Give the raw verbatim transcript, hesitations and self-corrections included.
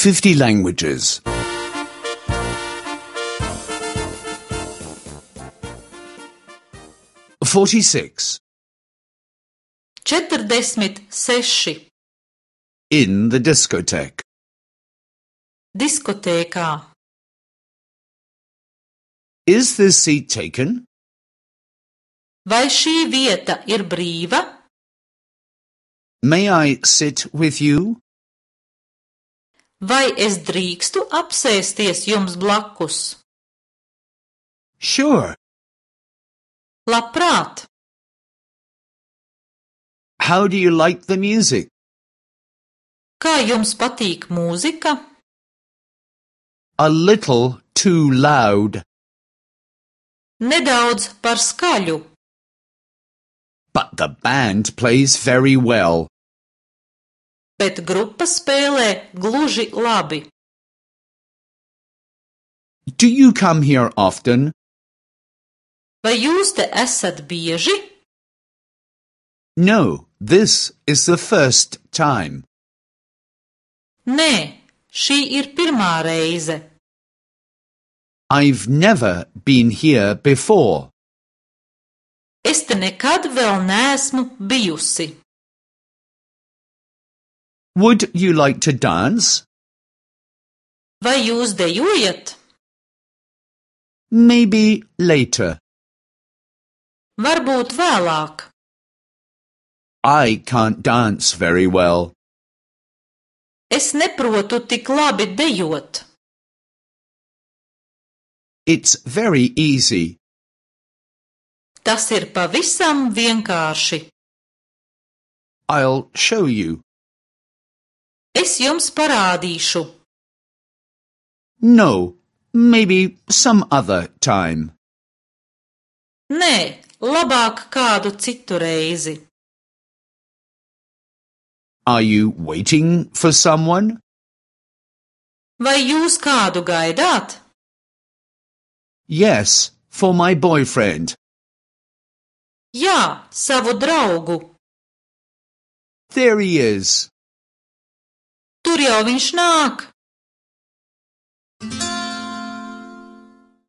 fifty languages. forty-six. Četrdesmit seši. In the discotheque. Diskotēkā. Is this seat taken? Vai šī vieta ir brīva? May I sit with you? Vai es drīkstu apsēsties jums blakus? Sure. Labprāt. How do you like the music? Kā jums patīk mūzika? A little too loud. Nedaudz par skaļu. But the band plays very well. Bet grupa spēlē gluži labi. Do you come here often? Vai jūs te esat bieži? No, this is the first time. Nē, šī ir pirmā reize. I've never been here before. Es te nekad vēl neesmu bijusi. Would you like to dance? Vai jūs dejojat? Maybe later. Varbūt vēlāk. I can't dance very well. Es neprotu tik labi dejot. It's very easy. Tas ir pavisam vienkārši. I'll show you. Es jums parādīšu. No, maybe some other time. Nē, labāk kādu citu reizi. Are you waiting for someone? Vai jūs kādu gaidāt? Yes, for my boyfriend. Jā, savu draugu. There he is. Tur jau viņš nāk.